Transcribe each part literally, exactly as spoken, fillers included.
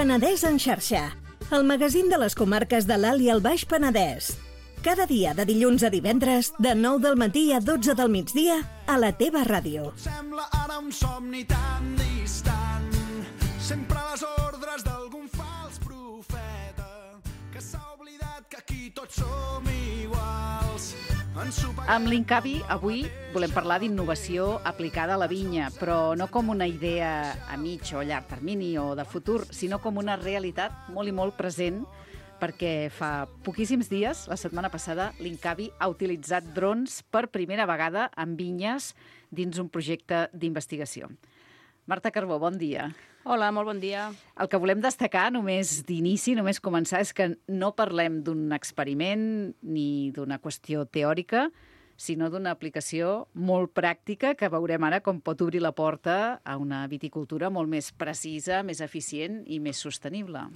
Penedès en xarxa, el magazín de les comarques de l'Alt i el Baix Penedès. Cada dia de dilluns a divendres, de nou del matí a dotze del migdia, a la teva ràdio. Sembla ara un somni tan distant, sempre a les ordres d'algun fals profeta, que s'ha oblidat que aquí tots som iguals. Amb l'Incavi, avui volem parlar d'innovació aplicada a la vinya, però no com una idea a mig o llarg termini o de futur, sinó com una realitat molt i molt present, perquè fa poquíssims dies, la setmana passada, l'Incavi ha utilitzat drons per primera vegada en vinyes dins un projecte d'investigació. Marta Carbó, bon dia. Hola, molt bon dia. El que volem destacar, només d'inici, només començar, és que no parlem d'un experiment ni d'una qüestió teòrica, sinó d'una aplicació molt pràctica que veurem ara com pot obrir la porta a una viticultura molt més precisa, més eficient i més sostenible.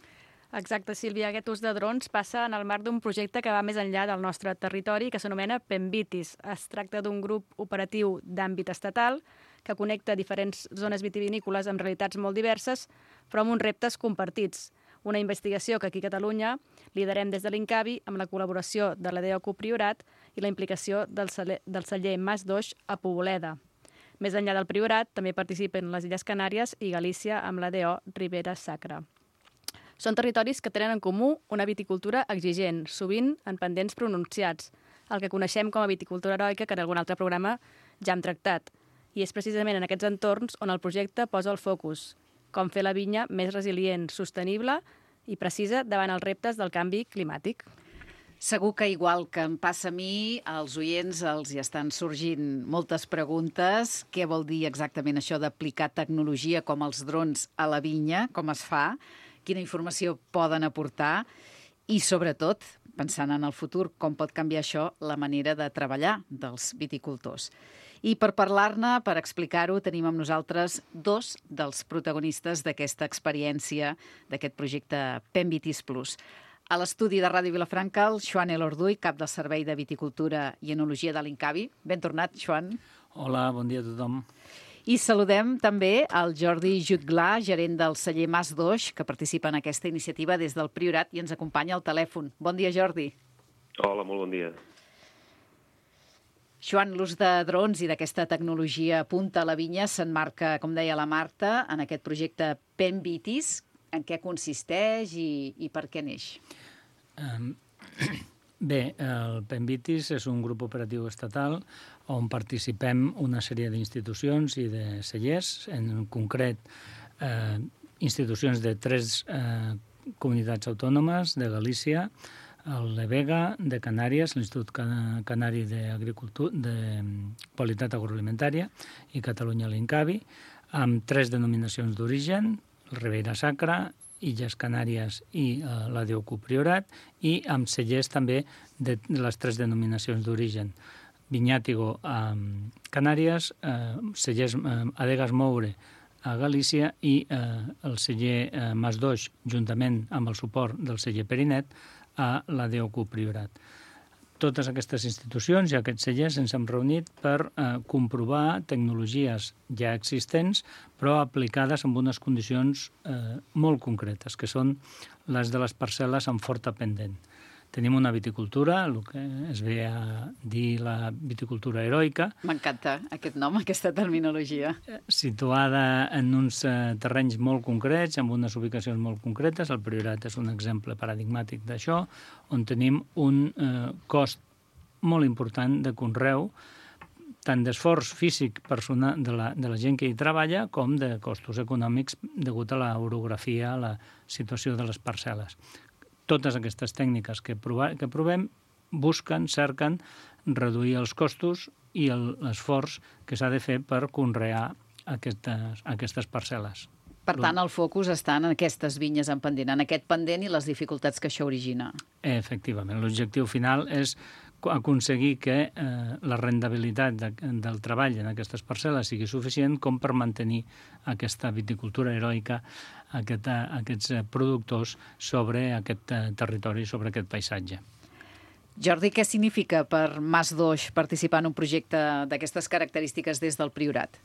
Exacte, Sílvia. Aquest ús de drons passa en el marc d'un projecte que va més enllà del nostre territori, que s'anomena PEMVitis. Es tracta d'un grup operatiu d'àmbit estatal que connecta diferents zones vitivinícoles amb realitats molt diverses, però amb uns reptes compartits. Una investigació que aquí a Catalunya liderem des de l'Incavi amb la col·laboració de l'A D O Priorat i la implicació del celler, del celler Mas d'Oix a Poboleda. Més enllà del Priorat, també participen les Illes Canàries i Galícia amb l'A D O Ribera Sacra. Són territoris que tenen en comú una viticultura exigent, sovint en pendents pronunciats, el que coneixem com a viticultura heroica, que en algun altre programa ja hem tractat. I és precisament en aquests entorns on el projecte posa el focus, com fer la vinya més resilient, sostenible i precisa davant els reptes del canvi climàtic. Segur que, igual que em passa a mi, als oients els hi estan sorgint moltes preguntes. Què vol dir exactament això d'aplicar tecnologia com els drons a la vinya? Com es fa? Quina informació poden aportar? I, sobretot, pensant en el futur, com pot canviar això la manera de treballar dels viticultors? I per parlar-ne, per explicar-ho, tenim amb nosaltres dos dels protagonistes d'aquesta experiència, d'aquest projecte PEMVitis Plus. A l'estudi de Ràdio Vilafranca, el Joan Elorduy, cap del Servei de Viticultura i Enologia de l'Incavi. Ben tornat, Joan. Hola, bon dia a tothom. I saludem també el Jordi Jutglà, gerent del celler Mas d'Oix, que participa en aquesta iniciativa des del Priorat i ens acompanya al telèfon. Bon dia, Jordi. Hola, molt bon dia. Joan, l'ús de drons i d'aquesta tecnologia punta a la vinya s'emmarca, com deia la Marta, en aquest projecte PEMVitis. En què consisteix i, i per què neix? Um, bé, el PEMVitis és un grup operatiu estatal on participem una sèrie d'institucions i de cellers, en concret eh, institucions de tres eh, comunitats autònomes, de Galícia, el Levega, de Canàries, l'Institut Canari d'Agricultura, de Qualitat Agroalimentària i Catalunya l'Incavi, amb tres denominacions d'origen, el Ribera Sacra, Illes Canàries i eh, l'A D O Priorat, i amb cellers també de les tres denominacions d'origen. Vinyàtigo a Canàries, eh, cellers eh, Adegas Moure a Galícia i eh, el celler eh, Mas d'Oix, juntament amb el suport del celler Perinet, a l'A D O Priorat. Totes aquestes institucions i aquests cellers ens hem reunit per eh, comprovar tecnologies ja existents, però aplicades amb unes condicions eh, molt concretes, que són les de les parcel·les amb forta pendent. Tenim una viticultura, el que es ve a dir la viticultura heroica. M'encanta aquest nom, aquesta terminologia. Situada en uns eh, terrenys molt concrets, amb unes ubicacions molt concretes. El Priorat és un exemple paradigmàtic d'això, on tenim un eh, cost molt important de conreu, tant d'esforç físic personal de la, de la gent que hi treballa, com de costos econòmics degut a l'orografia, a la situació de les parcel·les. Totes aquestes tècniques que, prova, que provem busquen, cerquen reduir els costos i l'esforç que s'ha de fer per conrear aquestes, aquestes parcel·les. Per tant, el focus està en aquestes vinyes en pendent, en aquest pendent i les dificultats que això origina. Efectivament. L'objectiu final és aconseguir que eh, la rendibilitat de, del treball en aquestes parcel·les sigui suficient com per mantenir aquesta viticultura heroica, aquest, aquests productors sobre aquest territori, sobre aquest paisatge. Jordi, què significa per Mas d'Oix participar en un projecte d'aquestes característiques des del Priorat?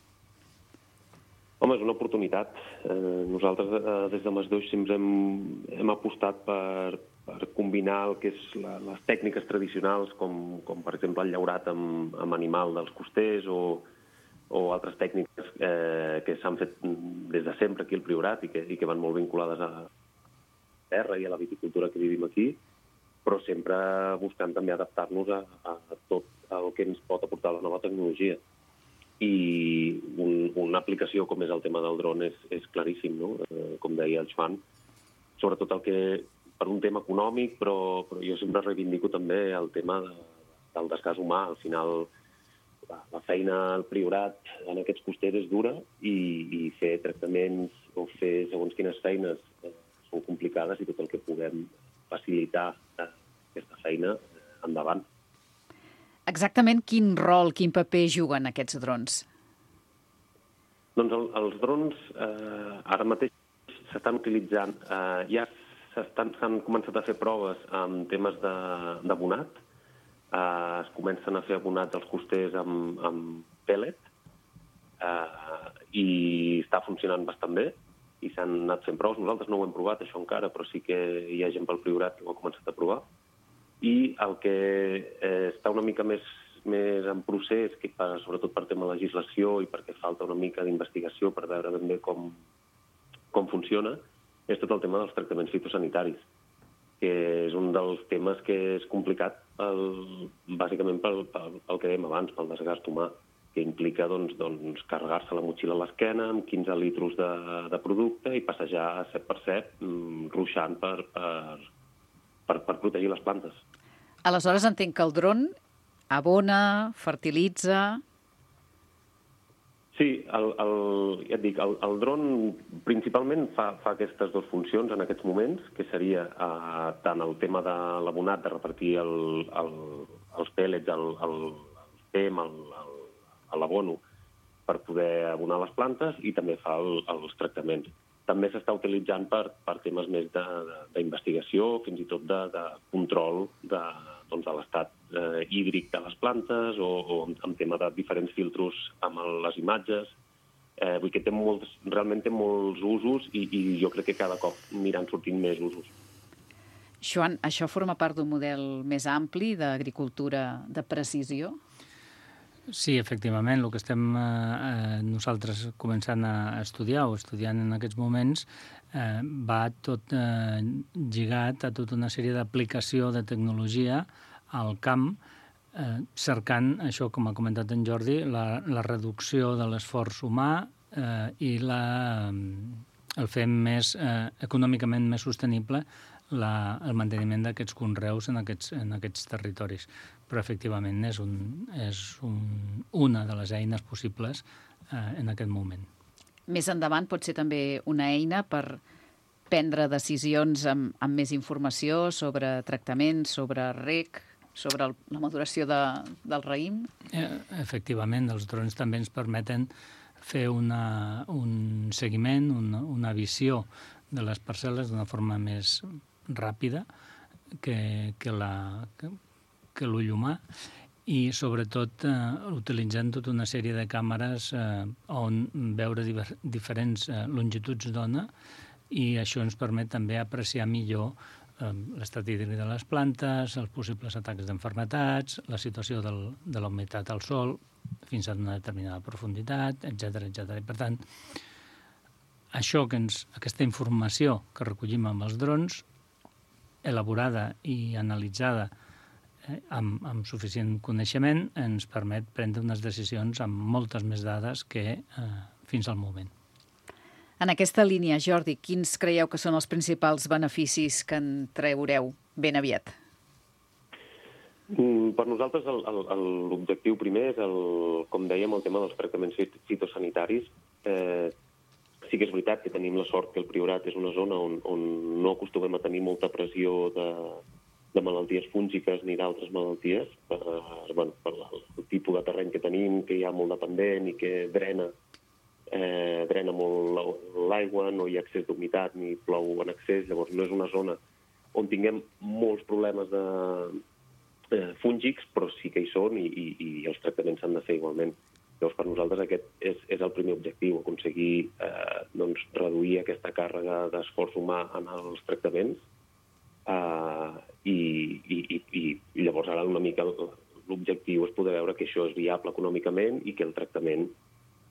Home, és una oportunitat. Eh, nosaltres, eh, des de Masdeuix, sempre hem, hem apostat per, per combinar el que és la, les tècniques tradicionals, com, com per exemple el llaurat amb, amb animal dels costers o, o altres tècniques eh, que s'han fet des de sempre aquí al Priorat i que, i que van molt vinculades a la terra i a la viticultura que vivim aquí, però sempre buscant també adaptar-nos a, a tot el que ens pot aportar la nova tecnologia. I un, una aplicació com és el tema del dron és, és claríssim, no? Eh, com deia el Joan, sobretot el que, per un tema econòmic, però, però jo sempre reivindico també el tema de, del desgast humà. Al final, la, la feina al Priorat en aquests costers és dura i, i fer tractaments o fer segons quines feines eh, són complicades i tot el que puguem facilitar eh, aquesta feina eh, endavant. Exactament quin rol, quin paper juguen aquests drons? Doncs el, els drons eh, ara mateix s'estan utilitzant, eh, ja s'han començat a fer proves amb temes d'abonat, eh, es comencen a fer abonats als costers amb, amb pellet eh, i està funcionant bastant bé i s'han anat fent proves. Nosaltres no ho hem provat, això encara, però sí que hi ha gent pel Priorat que ho ha començat a provar. I el que eh, està una mica més, més en procés, que per, sobretot per tema legislació i perquè falta una mica d'investigació per veure ben bé com, com funciona, és tot el tema dels tractaments fitosanitaris, que és un dels temes que és complicat, el, bàsicament pel, pel, pel que dèiem abans, pel desgast humà, que implica doncs, doncs, carregar-se la motxilla a l'esquena amb quinze litros de, de producte i passejar set per set, ruixant per, per, per, per protegir les plantes. Aleshores entenc que el dron abona, fertilitza... Sí, el, el, ja et dic, el, el dron principalment fa, fa aquestes dues funcions en aquests moments, que seria eh, tant el tema de l'abonat, de repartir el, el, els pèl·lets, el, el, el fem, el, el a l'abono per poder abonar les plantes i també fa el, els tractaments. També s'està utilitzant per, per temes més d'investigació, fins i tot de, de control de, doncs, de l'estat eh, hídric de les plantes o, o en tema de diferents filtros amb el, les imatges. Eh, vull que té molts, realment té molts usos i, i jo crec que cada cop aniran sortint més usos. Joan, això forma part d'un model més ampli d'agricultura de precisió? Sí, efectivament, el que estem eh, nosaltres començant a estudiar o estudiant en aquests moments eh, va tot eh, lligat a tota una sèrie d'aplicació de tecnologia al camp, eh, cercant això, com ha comentat en Jordi, la, la reducció de l'esforç humà eh, i la, el fer més, eh, econòmicament més sostenible la, el manteniment d'aquests conreus en aquests, en aquests territoris. Però efectivament és, un, és un, una de les eines possibles eh, en aquest moment. Més endavant pot ser també una eina per prendre decisions amb, amb més informació sobre tractaments, sobre reg, sobre el, la maduració de, del raïm? Eh, efectivament, els drons també ens permeten fer una, un seguiment, una, una visió de les parcel·les d'una forma més ràpida que, que la... Que, que l'ull humà i sobretot eh, utilitzant tota una sèrie de càmeres eh, on veure diver, diferents eh, longituds d'ona i això ens permet també apreciar millor eh, l'estat hídric de les plantes, els possibles atacs d'enfermetats, la situació del, de la humitat al sol fins a una determinada profunditat, etcètera, etcètera. I per tant, això que ens, aquesta informació que recollim amb els drons, elaborada i analitzada Amb, amb suficient coneixement, ens permet prendre unes decisions amb moltes més dades que eh, fins al moment. En aquesta línia, Jordi, quins creieu que són els principals beneficis que en traureu ben aviat? Mm, per nosaltres l'objectiu primer és, el, com dèiem, el tema dels tractaments fitosanitaris. Eh, sí que és veritat que tenim la sort que el Priorat és una zona on, on no acostumem a tenir molta pressió de de malalties fúngiques ni d'altres malalties, per, bueno, per el tipus de terreny que tenim, que hi ha molt de pendent i que drena, eh, drena molt l'aigua, no hi ha excés d'humitat ni plou en excés, llavors no és una zona on tinguem molts problemes de, eh, fúngics, però sí que hi són i, i, i els tractaments s'han de fer igualment. Llavors, per nosaltres aquest és, és el primer objectiu, aconseguir eh, doncs, reduir aquesta càrrega d'esforç humà en els tractaments eh, i, i, i, i llavors ara una mica l'objectiu és poder veure que això és viable econòmicament i que el tractament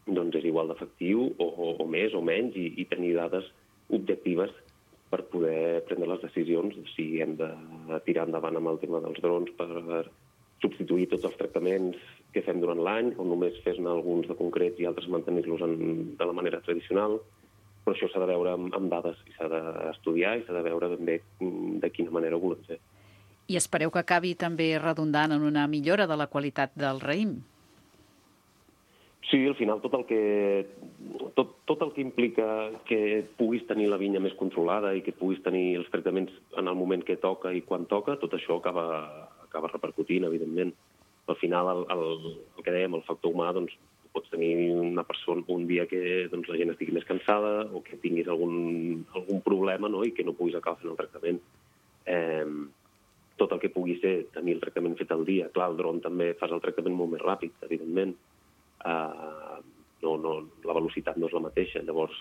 doncs, és igual d'efectiu o, o, o més o menys i, i tenir dades objectives per poder prendre les decisions si hem de tirar endavant amb el tema dels drons per substituir tots els tractaments que fem durant l'any o només fer-ne alguns de concrets i altres mantenir-los de la manera tradicional. Però això s'ha de veure amb, amb dades i s'ha d'estudiar i s'ha de veure ben bé de quina manera ho volem fer. I espereu que acabi també redundant en una millora de la qualitat del raïm? Sí, al final tot el que, tot, tot el que implica que puguis tenir la vinya més controlada i que puguis tenir els tractaments en el moment que toca i quan toca, tot això acaba, acaba repercutint, evidentment. Al final, el, el, el que dèiem, el factor humà, doncs, pots tenir una persona un dia que doncs, la gent estigui més cansada o que tinguis algun, algun problema, no?, i que no puguis acabar fent el tractament. Eh, tot el que pugui ser tenir el tractament fet al dia. Clar, el dron també fas el tractament molt més ràpid, evidentment. Uh, no, no, la velocitat no és la mateixa. Llavors,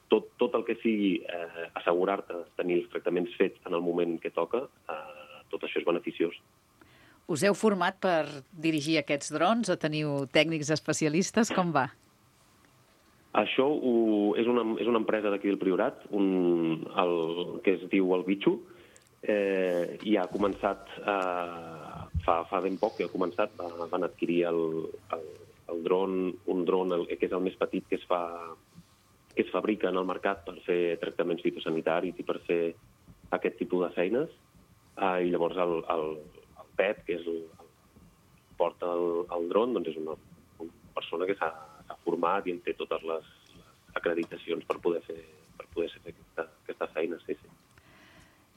tot, tot el que sigui eh, assegurar-te tenir els tractaments fets en el moment que toca, eh, tot això és beneficiós. Us heu format per dirigir aquests drons o teniu tècnics especialistes? Com va? Això ho, és, una, és una empresa d'aquí del Priorat, un, el, que es diu el Bitxo, eh, i ha començat, eh, fa, fa ben poc que ha començat, va, van adquirir el, el, el dron, un dron el, que és el més petit que es, fa, que es fabrica en el mercat per fer tractaments fitosanitaris i per fer aquest tipus de feines. Eh, I llavors el, el Pep, que és el, el porta el, el dron, doncs és una, una persona que s'ha format i en té totes les, les acreditacions per poder fer, per poder fer aquesta, aquesta feina. Sí, sí.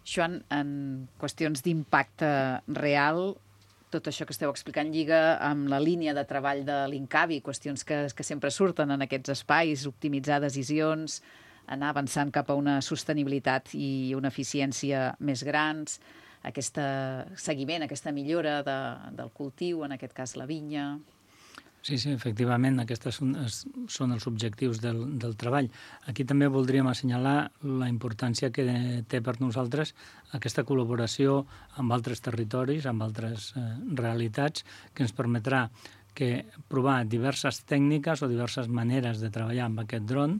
Joan, en qüestions d'impacte real, tot això que esteu explicant lliga amb la línia de treball de l'Incavi, qüestions que, que sempre surten en aquests espais, optimitzar decisions, anar avançant cap a una sostenibilitat i una eficiència més grans, aquest seguiment, aquesta millora de, del cultiu, en aquest cas la vinya. Sí, sí, efectivament, aquests són, són els objectius del, del treball. Aquí també voldríem assenyalar la importància que té per nosaltres aquesta col·laboració amb altres territoris, amb altres eh, realitats, que ens permetrà que provar diverses tècniques o diverses maneres de treballar amb aquest dron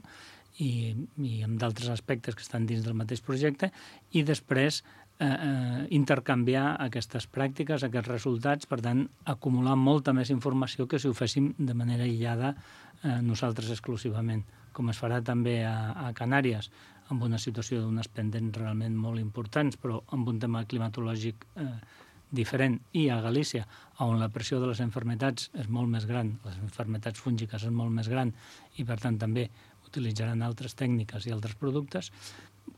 i, i amb d'altres aspectes que estan dins del mateix projecte i després Eh, eh, intercanviar aquestes pràctiques, aquests resultats, per tant, acumular molta més informació que si ho féssim de manera aïllada eh, nosaltres exclusivament, com es farà també a, a Canàries, amb una situació d'unes pendents realment molt importants, però amb un tema climatològic eh, diferent, i a Galícia, on la pressió de les malalties és molt més gran, les malalties fúngiques és molt més gran, i per tant també utilitzaran altres tècniques i altres productes,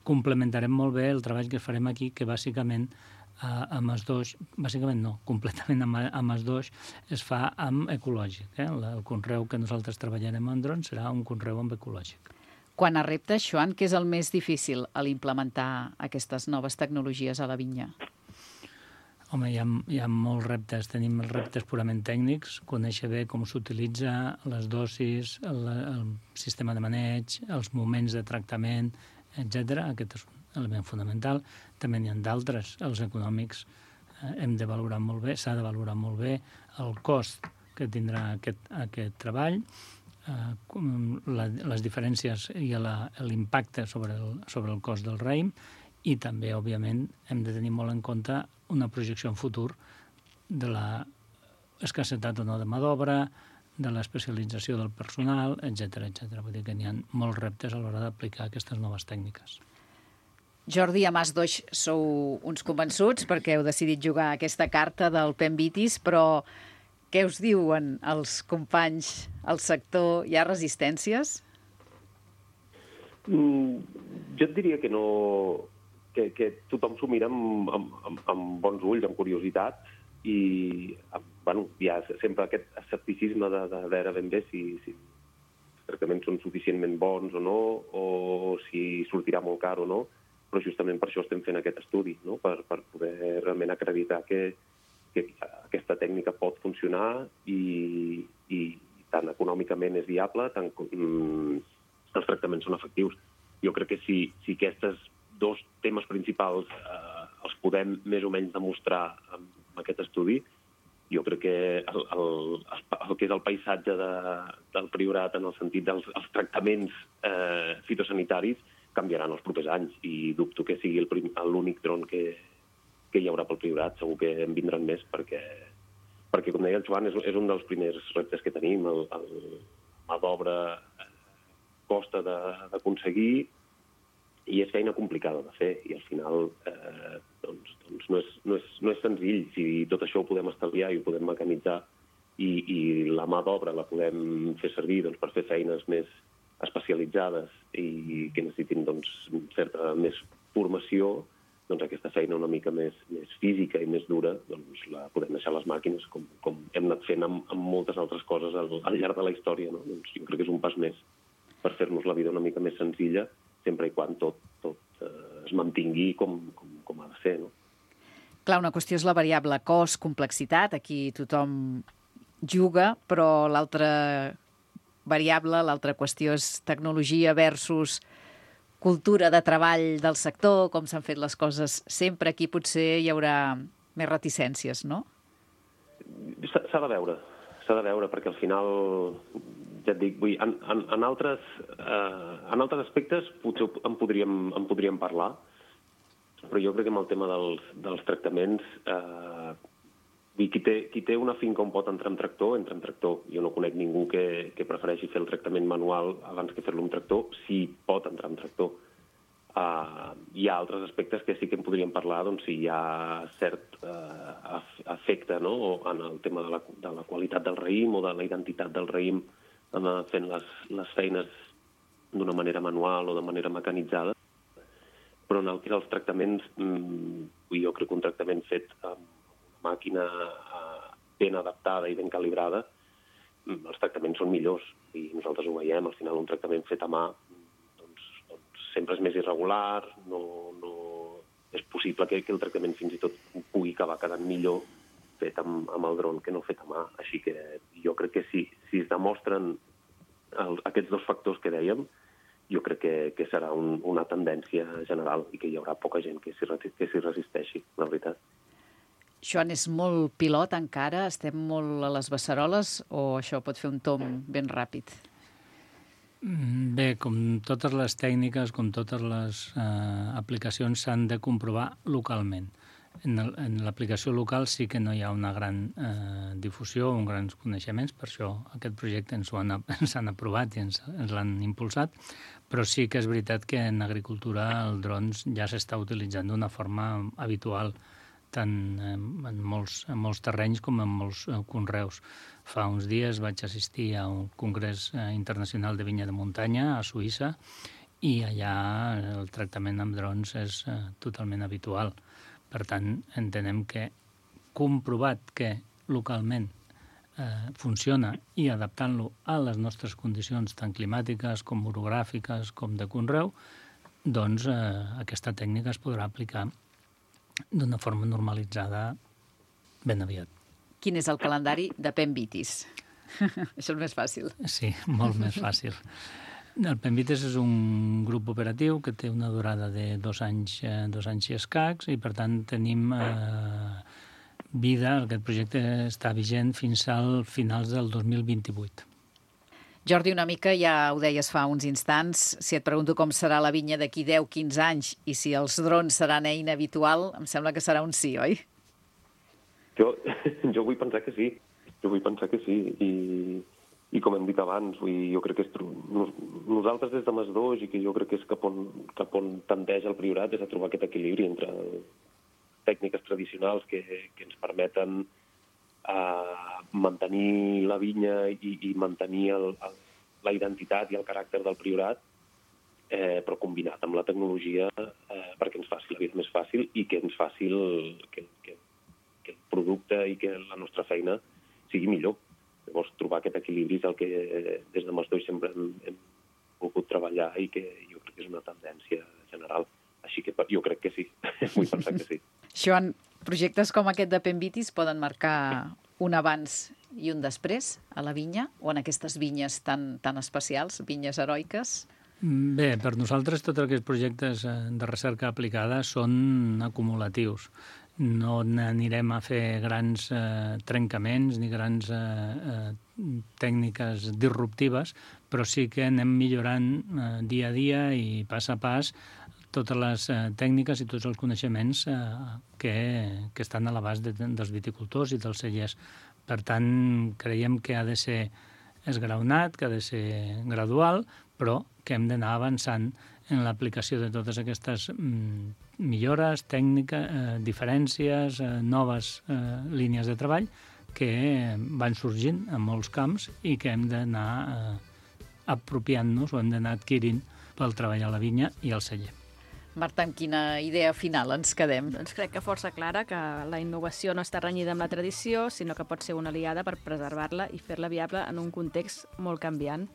complementarem molt bé el treball que farem aquí, que bàsicament eh, amb els dos, bàsicament no, completament amb, amb els dos es fa amb ecològic. Eh? El conreu que nosaltres treballarem en drons serà un conreu amb ecològic. Quan a reptes, Joan, què és el més difícil a l'implementar aquestes noves tecnologies a la vinya? Home, hi ha, hi ha molts reptes. Tenim els reptes purament tècnics, conèixer bé com s'utilitza, les dosis, el, el sistema de maneig, els moments de tractament, etcètera. Aquest és un element fonamental. També n'hi ha d'altres, els econòmics. Eh, hem de valorar molt bé, s'ha de valorar molt bé el cost que tindrà aquest, aquest treball, eh, la, les diferències i l'impacte sobre el, sobre el cost del raïm, i també, òbviament, hem de tenir molt en compte una projecció en futur de la escassetat o no de mà d'obra, de l'especialització del personal, etcètera, etcètera. Vull dir que n'hi ha molts reptes a l'hora d'aplicar aquestes noves tècniques. Jordi, a Mas Doix sou uns convençuts perquè heu decidit jugar aquesta carta del Pemvitis, però què us diuen els companys al sector? Hi ha resistències? Mm, jo et diria que no... que, que tothom s'ho mira amb, amb, amb bons ulls, amb curiositat, i bueno, hi ha sempre aquest escepticisme de, de veure ben bé si, si els tractaments són suficientment bons o no, o si sortirà molt car o no, però justament per això estem fent aquest estudi, no? per, per poder realment acreditar que, que aquesta tècnica pot funcionar i, i tant econòmicament és viable, tant mm, els tractaments són efectius. Jo crec que si, si aquests dos temes principals eh, els podem més o menys demostrar amb aquest estudi, jo crec que el, el, el que és el paisatge de, del Priorat en el sentit dels els tractaments eh, fitosanitaris canviaran els propers anys i dubto que sigui l'únic dron que, que hi haurà pel Priorat. Segur que en vindran més perquè, perquè com deia el Joan, és, és un dels primers reptes que tenim. El, el mà d'obra costa d'aconseguir i és feina complicada de fer i al final eh, doncs, doncs no, és, no, és, no és senzill. Si tot això ho podem estalviar i ho podem mecanitzar i, i la mà d'obra la podem fer servir doncs, per fer feines més especialitzades i que necessitin doncs, certa més formació, doncs aquesta feina una mica més, més física i més dura doncs, la podem deixar a les màquines com, com hem anat fent amb, amb moltes altres coses al, al llarg de la història. No? Doncs jo crec que és un pas més per fer-nos la vida una mica més senzilla sempre i quan tot, tot eh, es mantingui com, com, com ha de ser. No? Clar, una qüestió és la variable cost, complexitat, aquí tothom juga, però l'altra variable, l'altra qüestió és tecnologia versus cultura de treball del sector, com s'han fet les coses sempre. Aquí potser hi haurà més reticències, no? S'ha de veure, s'ha de veure, perquè al final, ja et dic, vull, en, en, en, altres, eh, en altres aspectes potser en podríem, en podríem parlar, però jo crec que amb el tema dels, dels tractaments, eh, qui té, qui té una finca on pot entrar amb tractor, entra amb tractor. Jo no conec ningú que, que prefereixi fer el tractament manual abans que fer-lo amb tractor, si pot entrar amb tractor. Uh, hi ha altres aspectes que sí que en podríem parlar, doncs si hi ha cert uh, efecte, no?, en el tema de la, de la qualitat del raïm o de la identitat del raïm uh, fent les, les feines d'una manera manual o de manera mecanitzada. Però en el que els tractaments, um, jo crec que un tractament fet amb una màquina uh, ben adaptada i ben calibrada, um, els tractaments són millors i nosaltres ho veiem. Al final un tractament fet a mà sempre és més irregular, no, no... és possible que, que el tractament fins i tot pugui acabar quedant millor fet amb, amb el dron que no fet a mà. Així que jo crec que si, si es demostren el, aquests dos factors que dèiem, jo crec que, que serà un, una tendència general i que hi haurà poca gent que s'hi resisteixi, la veritat. Joan, és molt pilot encara? Estem molt a les beceroles o això pot fer un tomb ben ràpid? Bé, com totes les tècniques, com totes les eh, aplicacions s'han de comprovar localment. En l'aplicació local sí que no hi ha una gran eh, difusió o uns grans coneixements, per això aquest projecte ens, han, ens han aprovat i ens, ens l'han impulsat, però sí que és veritat que en agricultura el drons ja s'està utilitzant d'una forma habitual, tant en molts, en molts terrenys com en molts eh, conreus. Fa uns dies vaig assistir a un congrés eh, internacional de vinya de muntanya a Suïssa i allà el tractament amb drons és eh, totalment habitual. Per tant, entenem que comprovat que localment eh, funciona i adaptant-lo a les nostres condicions tant climàtiques com orogràfiques com de conreu, doncs eh, aquesta tècnica es podrà aplicar d'una forma normalitzada ben aviat. Quin és el calendari de Pemvitis? Això és més fàcil. Sí, molt més fàcil. El Pemvitis és un grup operatiu que té una durada de dos anys, eh, dos anys i escacs i, per tant, tenim eh, vida. Aquest projecte està vigent fins al finals del dos mil vint-i-vuit. Jordi, una mica ja ho deies fa uns instants, si et pregunto com serà la vinya d'aquí deu a quinze anys i si els drons seran eina habitual, em sembla que serà un sí, oi? Jo, jo vull pensar que sí, jo vull pensar que sí, i, i com hem dit abans, vull, jo crec que és, nosaltres des de Mas dos, i que jo crec que és cap on, cap on tendeix el Priorat, és a trobar aquest equilibri entre tècniques tradicionals que, que ens permeten a mantenir la vinya i, i mantenir el, el, la identitat i el caràcter del Priorat, eh, però combinat amb la tecnologia eh, perquè ens faci la vida més fàcil i que ens faci el, que, que, que el producte i que la nostra feina sigui millor. Llavors, trobar aquest equilibri és el que eh, des de Mas dos sempre hem, hem volgut treballar i que jo crec que és una tendència general. Així que jo crec que sí, vull pensar que sí. Joan, projectes com aquest de Pemvitis poden marcar un abans i un després a la vinya, o en aquestes vinyes tan, tan especials, vinyes heroiques? Bé, per nosaltres tots aquests projectes de recerca aplicada són acumulatius. No anirem a fer grans eh, trencaments ni grans eh, eh, tècniques disruptives, però sí que anem millorant eh, dia a dia i pas a pas totes les eh, tècniques i tots els coneixements eh, que, que estan a l'abast de, dels viticultors i dels cellers. Per tant, creiem que ha de ser esgraonat, que ha de ser gradual, però que hem d'anar avançant en l'aplicació de totes aquestes mm, millores, tècniques, eh, diferències, eh, noves eh, línies de treball que van sorgint en molts camps i que hem d'anar eh, apropiant-nos o hem d'anar adquirint pel treball a la vinya i al celler. Marta, amb quina idea final ens quedem? Doncs crec que força clara que la innovació no està renyida amb la tradició, sinó que pot ser una aliada per preservar-la i fer-la viable en un context molt canviant.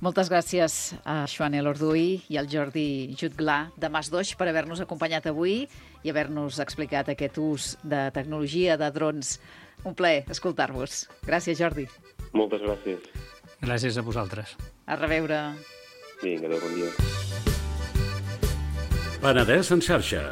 Moltes gràcies a Joan Elorduy i al Jordi Jutglar de Masdoix per haver-nos acompanyat avui i haver-nos explicat aquest ús de tecnologia de drons. Un plaer escoltar-vos. Gràcies, Jordi. Moltes gràcies. Gràcies a vosaltres. A reveure. Vinga, adéu, bon dia. Penedès en xarxa.